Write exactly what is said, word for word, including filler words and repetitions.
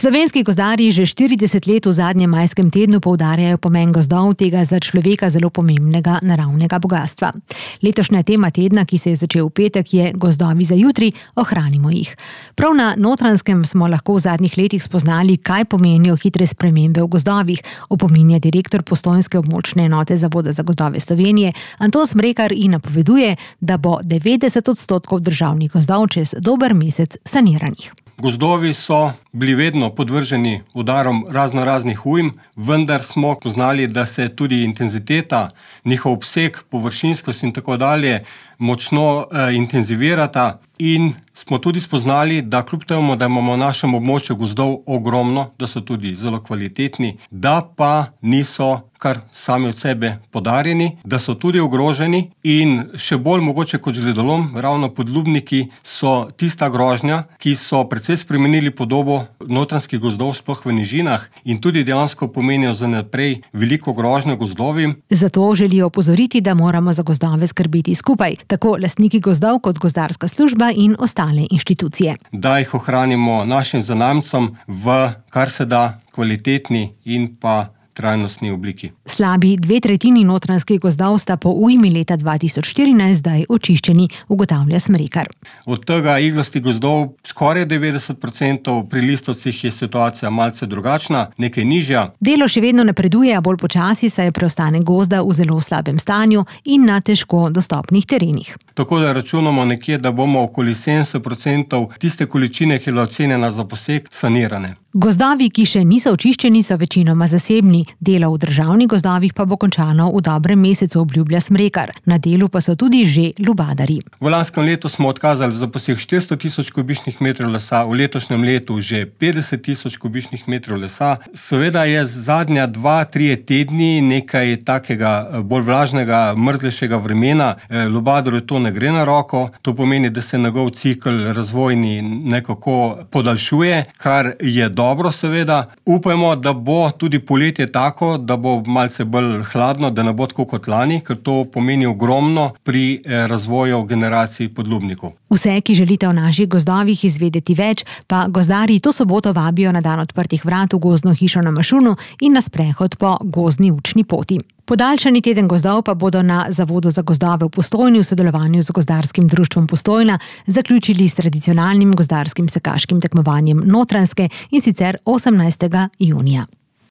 Slovenski gozdarji že štirideset let v zadnjem majskem tednu poudarjajo pomen gozdov, tega za človeka zelo pomembnega naravnega bogastva. Letošnja tema tedna, ki se je začel v petek, je Gozdovi za jutri, ohranimo jih. Prav na Notranjskem smo lahko v zadnjih letih spoznali, kaj pomenijo hitre spremembe v gozdovih, opominja direktor postojnske območne enote Zavoda za gozdove Slovenije Anton Smrekar in napoveduje, da bo devetdeset odstotkov državnih gozdov čez dober mesec saniranih. Gozdovi so bili vedno podvrženi udarom razno raznih ujm, vendar smo poznali, da se tudi intenziteta, njihov obseg, površinskost in tako dalje močno eh, intenzivirata in smo tudi spoznali, da kljub temu, da imamo v našem območju gozdov ogromno, da so tudi zelo kvalitetni, da pa niso kar sami od sebe podarjeni, da so tudi ogroženi in še bolj mogoče kot žledolom, ravno podlubniki so tista grožnja, ki so precej spremenili podobo notranjskih gozdov, sploh v nižinah in tudi dejansko pomenijo za naprej veliko grožnjo gozdovim. Zato želijo opozoriti, da moramo za gozdove skrbeti skupaj, tako lastniki gozdov kot gozdarska služba in ostale inštitucije. Da jih ohranimo našim zanamcem v kar se da kvalitetni in pa trajnostni obliki. Slabi dve tretjini notranjskih gozdov sta po ujmi leta dva tisoč štirinajst zdaj očiščeni, ugotavlja Smrekar. Od tega iglastih gozdov skoraj devetdeset procentov, pri listovcih je situacija malce drugačna, nekaj nižja. Delo še vedno napreduje, a bolj počasi, saj je preostanek gozda v zelo slabem stanju in na težko dostopnih terenih. Tako da računamo nekje, da bomo okoli sedemdeset procentov tiste količine, ki je bila ocenjena za posek, sanirane. Gozdovi, ki še niso očiščeni, so večinoma zasebni. Delo v državnih gozdovih pa bo končano v dobrem mesecu, obljublja Smrekar. Na delu pa so tudi že lubadarji. V lanskem letu smo odkazali za posek štiristo tisoč kubičnih metrov lesa, v letošnjem letu že petdeset tisoč kubičnih metrov lesa. Seveda je zadnja dva, trije tedni nekaj takega bolj vlažnega, mrzlejšega vremena. Lubadarju to ne gre na roko. To pomeni, da se njegov cikel razvojni nekako podaljšuje, kar je dobro seveda. Upajmo, da bo tudi poletje tako, da bo malce bolj hladno, da ne bo tako kot lani, ker to pomeni ogromno pri razvoju generacij podlubnikov. Vse, ki želite o naših gozdovih izvedeti več, pa gozdarji to soboto vabijo na dan odprtih vrat v gozdno hišo na Mašunu in na sprehod po gozdni učni poti. Podaljšani teden gozdov pa bodo na Zavodu za gozdove v Postojni v sodelovanju z Gozdarskim društvom Postojna zaključili s tradicionalnim gozdarskim sekaškim tekmovanjem Notranjske, in sicer osemnajstega junija.